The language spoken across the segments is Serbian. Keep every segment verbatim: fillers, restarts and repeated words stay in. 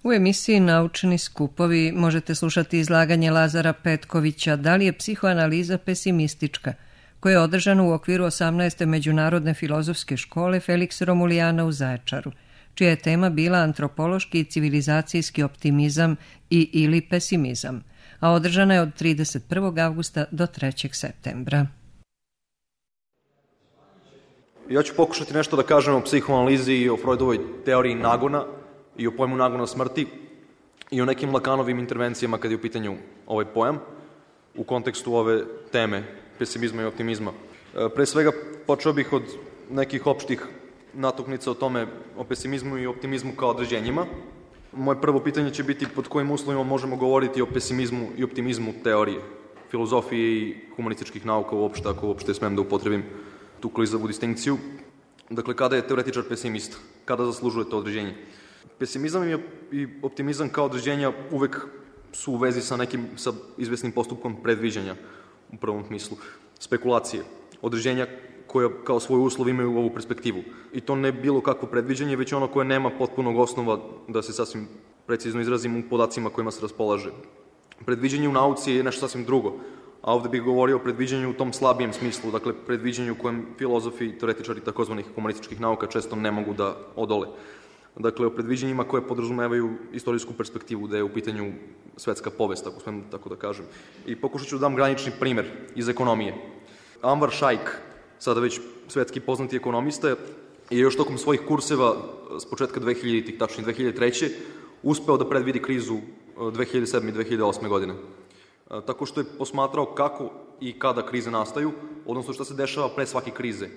U emisiji Naučni skupovi možete slušati izlaganje Lazara Petkovića Da li je psihoanaliza pesimistička, koje je održano u okviru osamnaeste Međunarodne filozofske škole Feliksa Romulijana u Zaječaru, čija je tema bila antropološki i civilizacijski optimizam i ili pesimizam, a održana je od trideset prvog avgusta do trećeg septembra. Ja ću pokušati nešto da kažem o psihoanalizi i o Freudovoj teoriji nagona i o pojmu nagona smrti i o nekim Lakanovim intervencijama kad je u pitanju ovaj pojam u kontekstu ove teme pesimizma i optimizma. Pre svega počeo bih od nekih opštih natuknica o tome, o pesimizmu i optimizmu kao određenjima. Moje prvo pitanje će biti pod kojim uslovima možemo govoriti o pesimizmu i optimizmu teorije, filozofije i humanističkih nauka uopšte, ako uopšte smem da upotrebim tu klizavu distinkciju. Dakle, kada je teoretičar pesimista? Kada zaslužuje to određenje? Pesimizam i optimizam kao određenja uvek su u vezi sa nekim, sa izvesnim postupkom predviđanja u prvom smislu. Spekulacije, određenja koja kao svoj uslov imaju ovu perspektivu. I to ne bilo kakvo predviđanje, već ono koje nema potpunog osnova, da se sasvim precizno izrazim, u podacima kojima se raspolaže. Predviđanje u nauci je nešto sasvim drugo, a ovde bih govorio o predviđanju u tom slabijem smislu, dakle predviđanju u kojem filozofi, teoretičari takozvanih humanističkih nauka često ne mogu da odole. Dakle, o predviđanjima koje podrazumevaju istorijsku perspektivu, da je u pitanju svetska povest, ako smem tako da kažem. I pokušat ću da dam granični primer iz ekonomije. Anwar Shaikh, sada već svetski poznati ekonomista, je još tokom svojih kurseva s početka dvehiljaditih, tačnije dve hiljade treće. uspeo da predvidi krizu dve hiljade sedme i dve hiljade osme. godine. Tako što je posmatrao kako i kada krize nastaju, odnosno šta se dešava pre svake krize.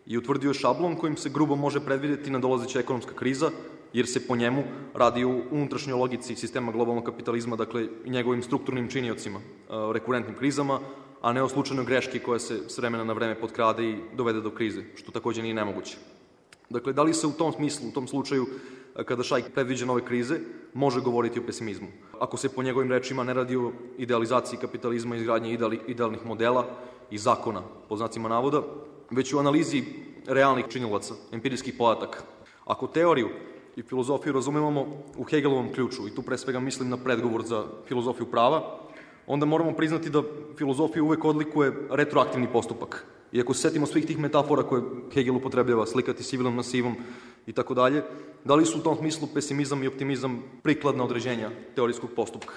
I utvrdio je šablon kojim se grubo može predvideti nadolazeća ekonomska kriza, jer se po njemu radi o unutrašnjoj logici sistema globalnog kapitalizma, dakle i njegovim strukturnim činiocima, rekurentnim krizama, a ne o slučajnoj greški koja se s vremena na vreme potkrade i dovede do krize, što takođe nije nemoguće. Dakle, da li se u tom smislu, u tom slučaju, kada Shaikh predviđa nove krize, može govoriti o pesimizmu? Ako se po njegovim rečima ne radi o idealizaciji kapitalizma, izgradnje idealnih modela i zakona, po znacima navoda, već u analizi realnih činilaca, empirijskih podataka. Ako teoriju i filozofiju razumemo u Hegelovom ključu, i tu pre svega mislim na predgovor za filozofiju prava, onda moramo priznati da filozofiju uvek odlikuje retroaktivni postupak. I ako se setimo svih tih metafora koje Hegel upotrebljava, slikati sivilom na sivom i tako dalje, da li su u tom smislu pesimizam i optimizam prikladna određenja teorijskog postupka?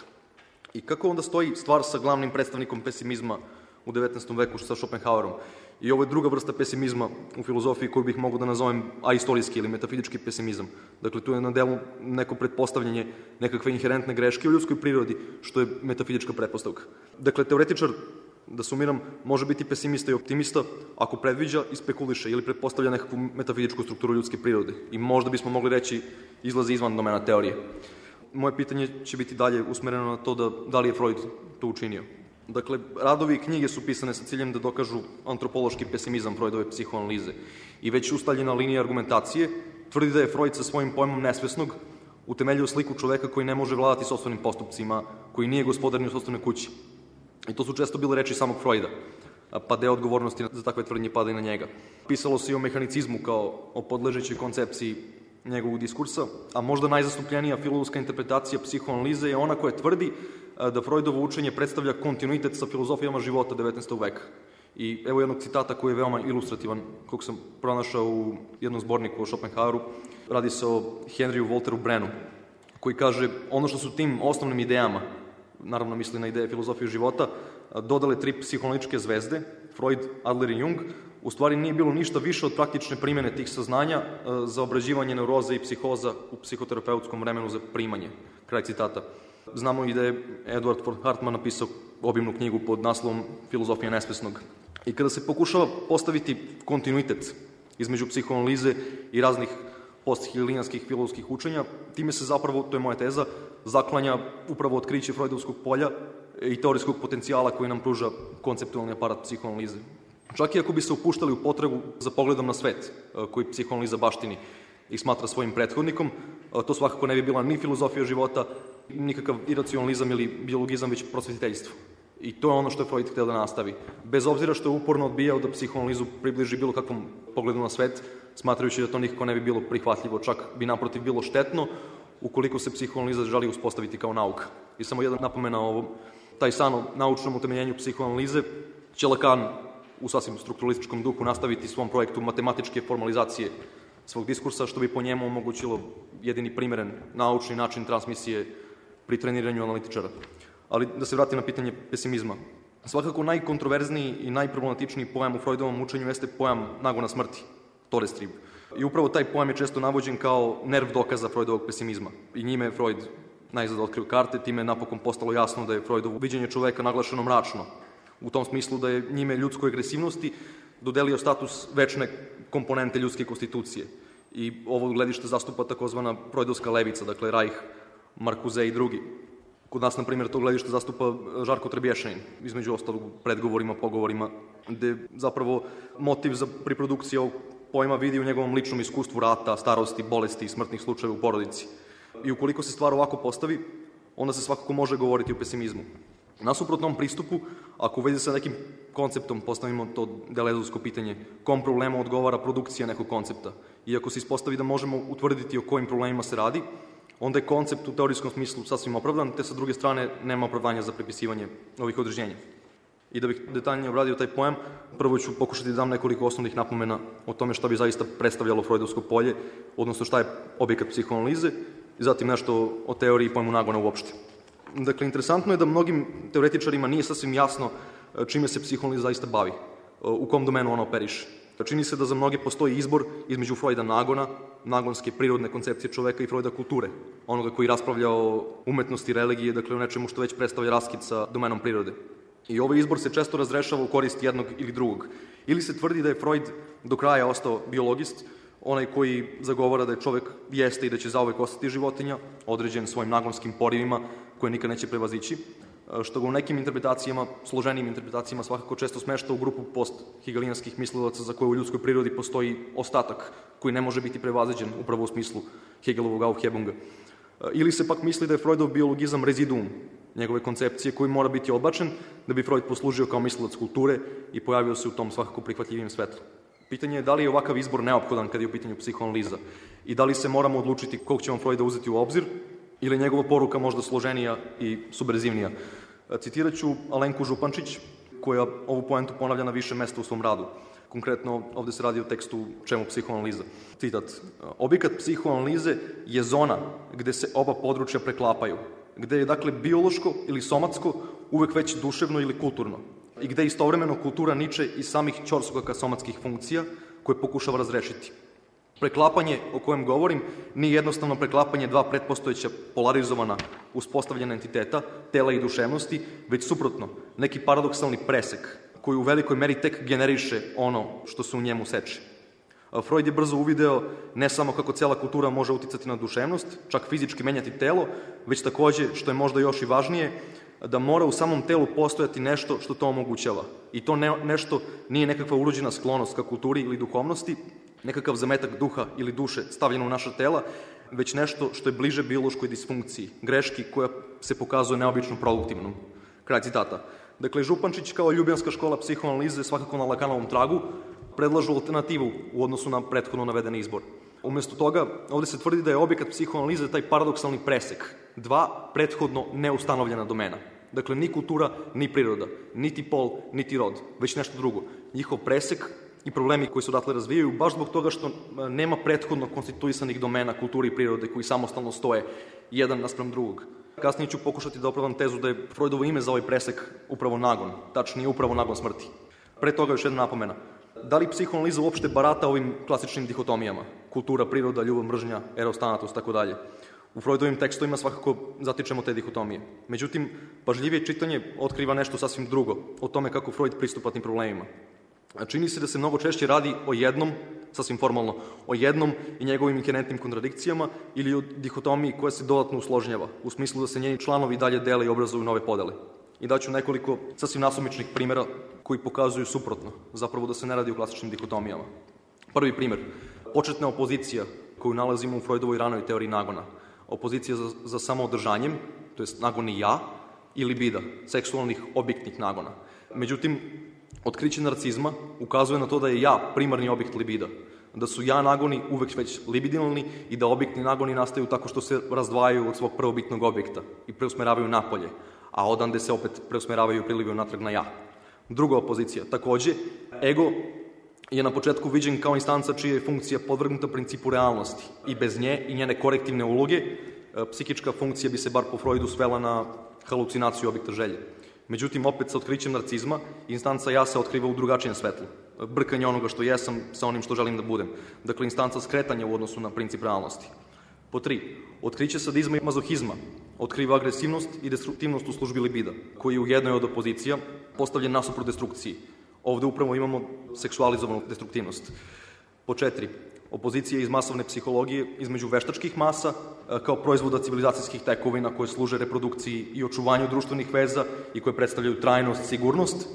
I kako onda stoji stvar sa glavnim predstavnikom pesimizma u devetnaestom veku sa Schopenhauerom? I ovo je druga vrsta pesimizma u filozofiji koju bih mogao da nazovem aistorijski ili metafizički pesimizam. Dakle, tu je na delu neko pretpostavljanje nekakve inherentne greške u ljudskoj prirodi, što je metafizička pretpostavka. Dakle, teoretičar, da sumiram, može biti pesimista i optimista ako predviđa i spekuliše ili pretpostavlja nekakvu metafizičku strukturu ljudske prirode. I možda bismo mogli reći izlazi izvan domena teorije. Moje pitanje će biti dalje usmereno na to da, da li je Freud to učinio. Dakle, radovi i knjige su pisane sa ciljem da dokažu antropološki pesimizam Freudove psihoanalize. I već ustaljena linija argumentacije tvrdi da je Freud sa svojim pojmom nesvesnog utemeljio sliku čoveka koji ne može vladati sopstvenim postupcima, koji nije gospodar ni u sopstvenoj kući. I to su često bile reči samog Freuda, pa deo odgovornosti za takve tvrdnje pada i na njega. Pisalo se i o mehanicizmu kao o podležećoj koncepciji njegovog diskursa, a možda najzastupljenija filozofska interpretacija psihoanalize je ona koja tvrdi da Freudovo učenje predstavlja kontinuitet sa filozofijama života devetnaestog veka. I evo jednog citata koji je veoma ilustrativan, kog sam pronašao u jednom zborniku o Schopenhaueru. Radi se o Henryu Walteru Brennu, koji kaže ono što su tim osnovnim idejama, naravno misli na ideje filozofije života, dodale tri psihoanalitičke zvezde, Freud, Adler i Jung, u stvari nije bilo ništa više od praktične primjene tih saznanja za obrađivanje neuroze i psihoza u psihoterapeutskom vremenu za primanje. Kraj citata. Znamo i da je Edward von Hartmann napisao obimnu knjigu pod naslovom Filozofija nesvesnog. I kada se pokušava postaviti kontinuitet između psihoanalize i raznih posthegelijanskih filozofskih učenja, time se zapravo, to je moja teza, zaklanja upravo otkriće freudovskog polja i teorijskog potencijala koji nam pruža konceptualni aparat psihoanalize. Čak i ako bi se upuštali u potragu za pogledom na svet koji psihoanaliza baštini i smatra svojim prethodnikom, to svakako ne bi bila ni filozofija života, nikakav iracionalizam ili biologizam, već prosvetiteljstvo. I to je ono što je Freud hteo da nastavi. Bez obzira što je uporno odbijao da psihoanalizu približi bilo kakvom pogledu na svet, smatrajući da to nikako ne bi bilo prihvatljivo, čak bi naprotiv bilo štetno, ukoliko se psihoanaliza želi uspostaviti kao nauka. I samo jedna napomena o ovom. Taj san o naučnom utemeljenju psihoanalize će Lacan u sasvim strukturalističkom duhu nastaviti svom projektu matematičke formalizacije svog diskursa, što bi po njemu omogućilo jedini primeren naučni način transmisije pri treniranju analitičara. Ali da se vratim na pitanje pesimizma. Svakako najkontroverzniji i najproblematičniji pojam u Freudovom učenju jeste pojam nagona smrti, Todestrieb. I upravo taj pojam je često navođen kao nerv dokaza Freudovog pesimizma. I njime je Freud najzad otkrio karte, time je napokon postalo jasno da je Freudovo viđenje čoveka naglašeno mračno. U tom smislu da je njime ljudskoj agresivnosti dodelio status večne komponente ljudske konstitucije. I ovo gledište zastupa takozvana freudovska levica, dakle Reich, Marcuse i drugi. Kod nas, na primjer, to gledište zastupa Žarko Trebješanin, između ostalog predgovorima, pogovorima, gde zapravo motiv za priprodukciju ovog pojma vidi u njegovom ličnom iskustvu rata, starosti, bolesti i smrtnih slučajeva u porodici. I ukoliko se stvar ovako postavi, onda se svakako može govoriti o pesimizmu. Nasuprot tom pristupu, ako u vezi sa nekim konceptom postavimo to delezovsko pitanje, kom problemu odgovara produkcija nekog koncepta, i ako se ispostavi da možemo utvrditi o kojim problemima se radi, onda je koncept u teorijskom smislu sasvim opravdan, te sa druge strane nema opravdanja za pripisivanje ovih određenja. I da bih detaljnije obradio taj pojam, prvo ću pokušati da dam nekoliko osnovnih napomena o tome šta bi zaista predstavljalo freudovsko polje, odnosno šta je objekat psihoanalize, i zatim nešto o teoriji i pojmu nagona uopšte. Dakle, interesantno je da mnogim teoretičarima nije sasvim jasno čime se psihoanaliza zaista bavi, u kom domenu ona operiše. Čini se da za mnoge postoji izbor između Freuda nagona, nagonske prirodne koncepcije čoveka, i Freuda kulture, onoga koji raspravlja o umetnosti religije, dakle o nečemu što već predstavlja raskid sa domenom prirode. I ovaj izbor se često razrešava u korist jednog ili drugog. Ili se tvrdi da je Freud do kraja ostao biologist, onaj koji zagovara da je čovek jeste i da će zauvek ostati životinja, određen svojim nagonskim porivima koje nikad neće prevazići, što ga u nekim interpretacijama, složenijim interpretacijama, svakako često smešta u grupu post-hegelijanskih mislilaca za koje u ljudskoj prirodi postoji ostatak koji ne može biti prevaziđen upravo u smislu Hegelovog Aufhebunga. Ili se pak misli da je Freudov biologizam reziduum njegove koncepcije koji mora biti odbačen da bi Freud poslužio kao mislilac kulture i pojavio se u tom svakako prihvatljivijem svetlu. Pitanje je da li je ovakav izbor neophodan kad je u pitanju psihoanaliza i da li se moramo odlučiti kog ćemo Freuda uzeti u obzir ili je njegova poruka možda složenija i subverzivnija. Citirat ću Alenku Župančić, koja ovu poentu ponavlja na više mesta u svom radu. Konkretno, ovde se radi o tekstu Čemu psihoanaliza. Citat: objekat psihoanalize je zona gde se oba područja preklapaju, gde je dakle biološko ili somatsko uvek već duševno ili kulturno i gde istovremeno kultura niče iz samih ćorsokaka somatskih funkcija koje pokušava razrešiti. Preklapanje o kojem govorim nije jednostavno preklapanje dva pretpostojeća polarizovana uspostavljena entiteta, tela i duševnosti, već suprotno, neki paradoksalni presek koji u velikoj meri tek generiše ono što se u njemu seče. Freud je brzo uvideo ne samo kako cela kultura može uticati na duševnost, čak fizički menjati telo, već takođe, što je možda još i važnije, da mora u samom telu postojati nešto što to omogućava. I to ne, nešto nije nekakva urođena sklonost ka kulturi ili duhovnosti, nekakav zametak duha ili duše stavljeno u naša tela, već nešto što je bliže biološkoj disfunkciji, greški koja se pokazuje neobično produktivnom. Kraj citata. Dakle, Župančić kao ljubljanska škola psihoanalize svakako na Lacanovom tragu predlažu alternativu u odnosu na prethodno navedeni izbor. Umesto toga, ovde se tvrdi da je objekat psihoanalize taj paradoksalni presek, dva prethodno neustanovljena domena. Dakle, ni kultura, ni priroda, niti pol, niti rod, već nešto drugo. Njihov presek i problemi koji se odatle razvijaju baš zbog toga što nema prethodno konstituisanih domena kulture i prirode koji samostalno stoje jedan naspram drugog. Kasnije ću pokušati da opravdam tezu da je Freudovo ime za ovaj presek upravo nagon, tačnije upravo nagon smrti. Pre toga još jedna napomena. Da li psihoanaliza uopšte barata ovim klasičnim dihotomijama? Kultura, priroda, ljubav, mržnja, eros, thanatos, tako dalje. U Freudovim tekstovima svakako zatičemo te dihotomije. Međutim, pažljivije čitanje otkriva nešto sasvim drugo, o tome kako Freud pristupa tim problemima. Čini se da se mnogo češće radi o jednom, sasvim formalno, o jednom i njegovim inherentnim kontradikcijama ili o dihotomiji koja se dodatno usložnjava, u smislu da se njeni članovi dalje dele i obrazuju nove podele. I daću nekoliko sasvim nasumičnih primjera koji pokazuju suprotno, zapravo da se ne radi o klasičnim dihotomijama. Prvi primjer, početna opozicija koju nalazimo u Freudovoj ranoj teoriji nagona. Opozicija za, za samoodržanjem, to jest nagoni ja, i libida, seksualnih objektnih nagona. Međutim, otkriće narcizma ukazuje na to da je ja primarni objekt libida. Da su ja nagoni uvek već libidinalni i da objektni nagoni nastaju tako što se razdvajaju od svog prvobitnog objekta i preusmeravaju napolje, a odande se opet preusmeravaju i prilivaju natrag na ja. Druga opozicija, takođe, ego je na početku viđen kao instanca čija je funkcija podvrgnuta principu realnosti i bez nje i njene korektivne uloge psihička funkcija bi se bar po Freudu svela na halucinaciju objekta želje. Međutim, opet sa otkrićem narcizma, instanca ja se otkriva u drugačijem svetlu. Brkanje onoga što jesam sa onim što želim da budem. Dakle, instanca skretanja u odnosu na princip realnosti. Po tri, otkriće sadizma i mazohizma otkriva agresivnost i destruktivnost u službi libida, koji je u jednoj od opozicija postavljen nasuprot destrukciji. Ovde upravo imamo seksualizovanu destruktivnost. Po četiri, opozicija iz masovne psihologije između veštačkih masa kao proizvoda civilizacijskih tekovina koje služe reprodukciji i očuvanju društvenih veza i koje predstavljaju trajnost, sigurnost,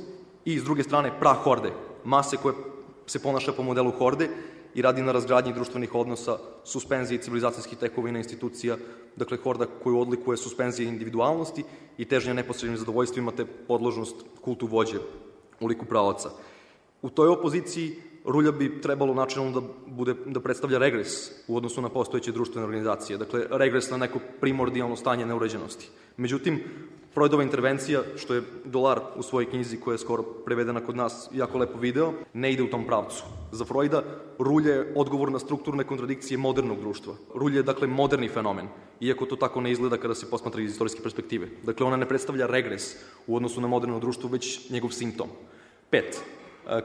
i s druge strane prahorde, mase koje se ponaša po modelu horde i radi na razgradnji društvenih odnosa, suspenziji civilizacijskih tekovina institucija, dakle horda koju odlikuje suspenzija individualnosti i težnja neposrednim zadovoljstvima te podložnost kultu vođe u liku pravaca. U toj opoziciji rulja bi trebalo načelno da, bude, da predstavlja regres u odnosu na postojeće društvene organizacije, dakle regres na neko primordijalno stanje neuređenosti. Međutim, Freudova intervencija, što je Dolar u svojoj knjizi koja je skoro prevedena kod nas jako lepo video, ne ide u tom pravcu. Za Freuda rulja je odgovor na strukturne kontradikcije modernog društva. Rulja je dakle moderni fenomen, iako to tako ne izgleda kada se posmatra iz istorijske perspektive. Dakle, ona ne predstavlja regres u odnosu na moderno društvo, već njegov simptom. Pet.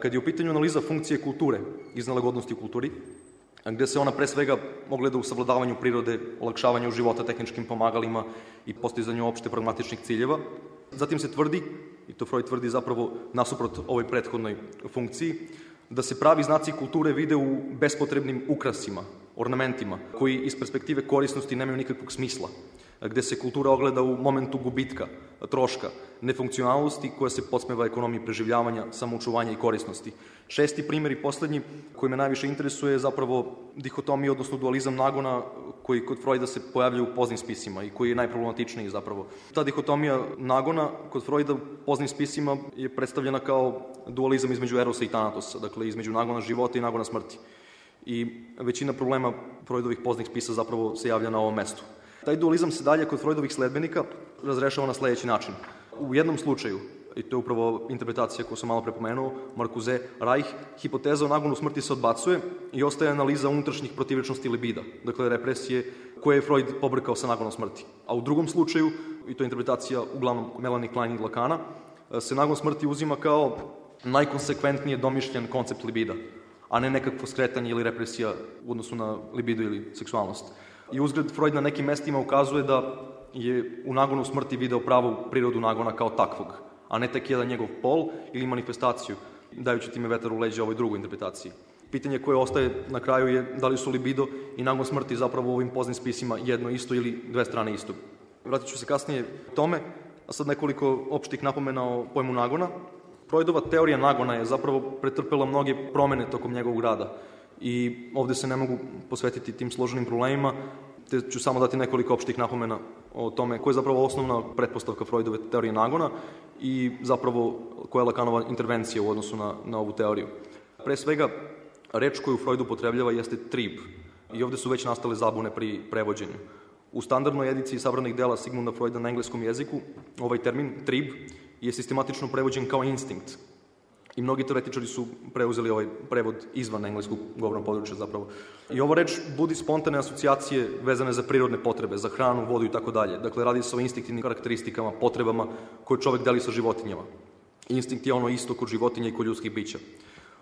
Kad je u pitanju analiza funkcije kulture, iznelagodnosti u kulturi, gde se ona pre svega ogleda u savladavanju prirode, olakšavanju života tehničkim pomagalima i postizanju opšte pragmatičnih ciljeva. Zatim se tvrdi, i to Freud tvrdi zapravo nasuprot ovoj prethodnoj funkciji, da se pravi znaci kulture vide u bespotrebnim ukrasima, ornamentima, koji iz perspektive korisnosti nemaju nikakvog smisla, gde se kultura ogleda u momentu gubitka, troška, nefunkcionalnosti koja se podsmeva ekonomiji preživljavanja, samoučuvanja i korisnosti. Šesti primjer i poslednji koji me najviše interesuje je zapravo dihotomija, odnosno dualizam nagona koji kod Freuda se pojavlja u poznim spisima i koji je najproblematičniji zapravo. Ta dihotomija nagona kod Freuda u poznim spisima je predstavljena kao dualizam između erosa i tanatosa, dakle između nagona života i nagona smrti. I većina problema Freudovih poznih spisa zapravo se javlja na ovom mestu. Taj dualizam se dalje kod Freudovih sledbenika razrešava na sledeći način. U jednom slučaju, i to je upravo interpretacija koju sam malo prepomenuo, Marcuse, Reich, hipoteza o nagonu smrti se odbacuje i ostaje analiza unutrašnjih protivečnosti libida, dakle represije koje je Freud pobrkao sa nagonom smrti. A u drugom slučaju, i to je interpretacija uglavnom Melanie Klein i Lacana, se nagon smrti uzima kao najkonsekventnije domišljen koncept libida, a ne nekakvo skretanje ili represija u odnosu na libido ili seksualnost. I uzgled Freud na nekim mestima ukazuje da je u nagonu smrti video pravu prirodu nagona kao takvog, a ne tek jedan njegov pol ili manifestaciju, dajući time vetar u leđa ovoj drugoj interpretaciji. Pitanje koje ostaje na kraju je da li su libido i nagon smrti zapravo u ovim poznim spisima jedno isto ili dve strane isto. Vratit ću se kasnije tome, a sad nekoliko opštih napomena o pojmu nagona. Freudova teorija nagona je zapravo pretrpela mnoge promene tokom njegovog rada i ovde se ne mogu posvetiti tim složenim problemima, te ću samo dati nekoliko opštih napomena o tome koja je zapravo osnovna pretpostavka Freudove teorije nagona i zapravo koja je Lacanova intervencija u odnosu na, na ovu teoriju. Pre svega, reč koju Freud upotrebljava jeste trib i ovde su već nastale zabune pri prevođenju. U standardnoj ediciji sabranih dela Sigmunda Freuda na engleskom jeziku ovaj termin trib je sistematično prevođen kao instinkt. I mnogi teoretičari su preuzeli ovaj prevod izvan engleskog govornog područja zapravo. I ova reč budi spontane asocijacije vezane za prirodne potrebe, za hranu, vodu i tako dalje. Dakle, radi se o instinktivnim karakteristikama, potrebama koje čovek deli sa životinjama. Instinkt je ono isto kod životinja i kod ljudskih bića.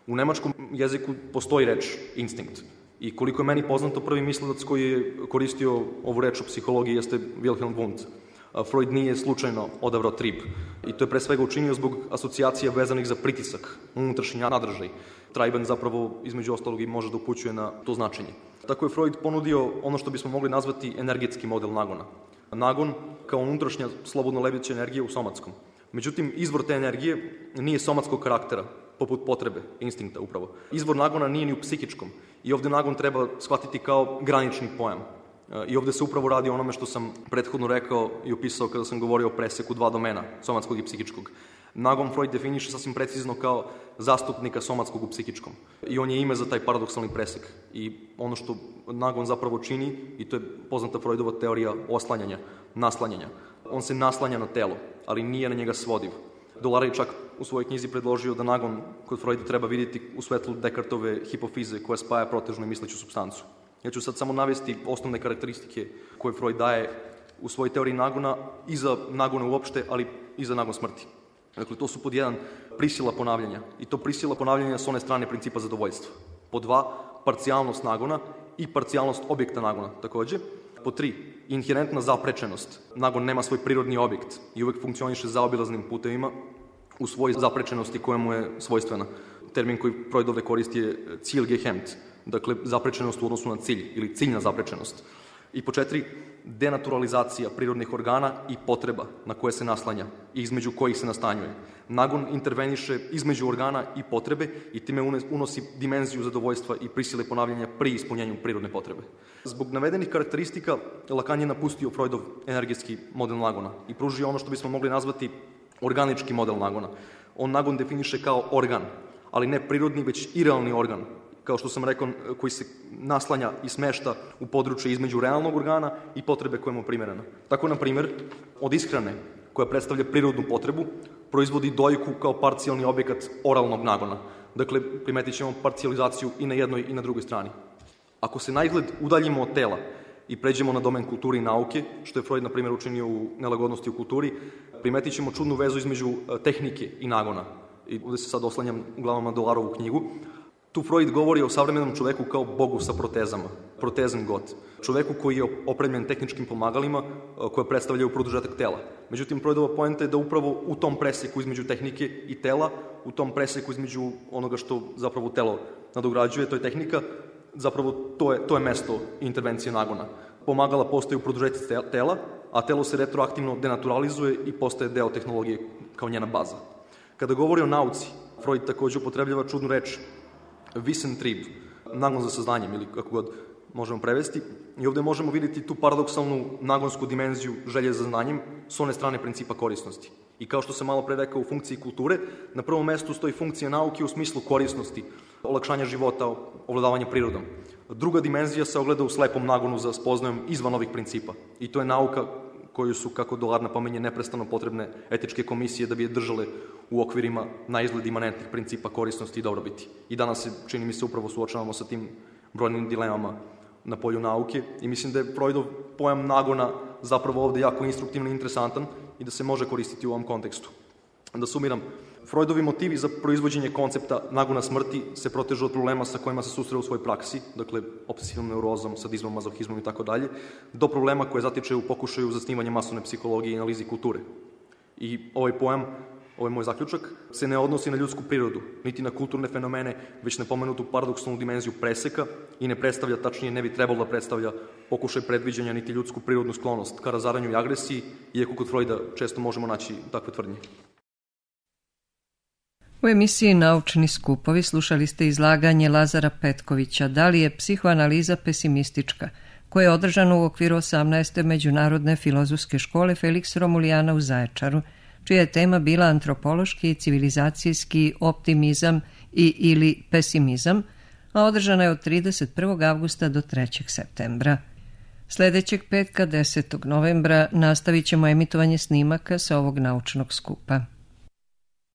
U nemačkom jeziku postoji reč instinkt. I koliko je meni poznato, prvi mislilac koji je koristio ovu reč u psihologiji jeste Wilhelm Wundt. Freud nije slučajno odabrao trib. I to je pre svega učinio zbog asocijacija vezanih za pritisak, unutrašnji nadržaj. Treiben zapravo, između ostalog, i može da upućuje na to značenje. Tako je Freud ponudio ono što bismo mogli nazvati energetski model nagona. Nagon kao unutrašnja slobodno lebeća energija u somatskom. Međutim, izvor te energije nije somatskog karaktera, poput potrebe, instinkta upravo. Izvor nagona nije ni u psihičkom i ovde nagon treba shvatiti kao granični pojam. I ovde se upravo radi o onome što sam prethodno rekao i opisao kada sam govorio o preseku dva domena, somatskog i psihičkog. Nagon Freud definiše sasvim precizno kao zastupnika somatskog u psihičkom. I on je ime za taj paradoksalni presek. I ono što nagon zapravo čini, i to je poznata Freudova teorija oslanjanja, naslanjanja. On se naslanja na telo, ali nije na njega svodiv. Dolara je čak u svojoj knjizi predložio da nagon kod Freuda treba vidjeti u svetlu Descartove hipofize koja spaja protežnu i misleću supstancu. Ja ću sad samo navesti osnovne karakteristike koje Freud daje u svojoj teoriji nagona i za nagone uopšte, ali i za nagon smrti. Dakle, to su pod jedan prisila ponavljanja i to prisila ponavljanja s one strane principa zadovoljstva. Pod dva, parcijalnost nagona i parcijalnost objekta nagona takođe. Pod tri, inherentna zaprečenost. Nagon nema svoj prirodni objekt i uvek funkcioniše zaobilaznim putevima u svojoj zaprečenosti koja mu je svojstvena. Termin koji Freud ovde koristi je Zielgehemmt, dakle zaprečenost u odnosu na cilj ili ciljna zaprečenost. I po četiri, denaturalizacija prirodnih organa i potreba na koje se naslanja i između kojih se nastanjuje. Nagon interveniše između organa i potrebe i time unosi dimenziju zadovoljstva i prisile ponavljanja pri ispunjenju prirodne potrebe. Zbog navedenih karakteristika Lacan je napustio Freudov energetski model nagona i pružio ono što bismo mogli nazvati organički model nagona. On nagon definiše kao organ, ali ne prirodni, već irealni organ, kao što sam rekao, koji se naslanja i smešta u područje između realnog organa i potrebe koja mu je primerena. Tako, na primjer, od ishrane, koja predstavlja prirodnu potrebu, proizvodi dojku kao parcijalni objekat oralnog nagona. Dakle, primetit ćemo parcijalizaciju i na jednoj i na drugoj strani. Ako se na izgled udaljimo od tela i pređemo na domen kulture i nauke, što je Freud, na primjer, učinio u Nelagodnosti u kulturi, primetit ćemo čudnu vezu između tehnike i nagona. I ovde se sad oslanjam uglavnom na Dolarovu knjigu. Tu Freud govori o savremenom čoveku kao bogu sa protezama, protezen god. Čoveku koji je opremljen tehničkim pomagalima koje predstavljaju produžetak tela. Međutim, Freudova poenta je da upravo u tom preseku između tehnike i tela, u tom preseku između onoga što zapravo telo nadograđuje, to je tehnika, zapravo to je, to je mesto intervencije nagona. Pomagala postaju produžetak tela, a telo se retroaktivno denaturalizuje i postaje deo tehnologije kao njena baza. Kada govori o nauci, Freud takođe upotrebljava čudnu reč Wissentrieb, nagon za saznanjem ili kako god možemo prevesti. I ovde možemo vidjeti tu paradoksalnu nagonsku dimenziju želje za znanjem s one strane principa korisnosti. I kao što sam malo pre rekao u funkciji kulture, na prvom mestu stoji funkcija nauke u smislu korisnosti, olakšanja života, ovladavanja prirodom. Druga dimenzija se ogleda u slepom nagonu za spoznajom izvan ovih principa. I to je nauka koju su, kako Dolar napominje, neprestano potrebne etičke komisije da bi je držale u okvirima na izgled imanentnih principa korisnosti i dobrobiti. I danas se, čini mi se, upravo suočavamo sa tim brojnim dilemama na polju nauke i mislim da je Freudov pojam nagona zapravo ovde jako instruktivno i interesantan i da se može koristiti u ovom kontekstu. Da sumiram, Freudovi motivi za proizvođenje koncepta nagona smrti se protežu od problema sa kojima se susreo u svojoj praksi, dakle obsesivnom neurozom, sadizmom, mazohizmom i tako dalje, do problema koje zatiče u pokušaju zasnivanja masovne psihologije i analizi kulture. I ovaj pojam, ovaj moj zaključak, se ne odnosi na ljudsku prirodu, niti na kulturne fenomene, već na pomenutu paradoksalnu dimenziju preseka i ne predstavlja, tačnije ne bi trebalo da predstavlja pokušaj predviđanja niti ljudsku prirodnu sklonost ka razaranju i agresiji, iako kod Freuda često možemo naći takve tvrdnje. U emisiji Naučni skupovi slušali ste izlaganje Lazara Petkovića Da li je psihoanaliza pesimistička, koje je održano u okviru osamnaeste Međunarodne filozofske škole Feliks Romulijana u Zaječaru, čija je tema bila antropološki i civilizacijski optimizam i ili pesimizam, a održana je od trideset prvog avgusta do trećeg septembra. Sledećeg petka desetog novembra nastavit ćemo emitovanje snimaka sa ovog naučnog skupa.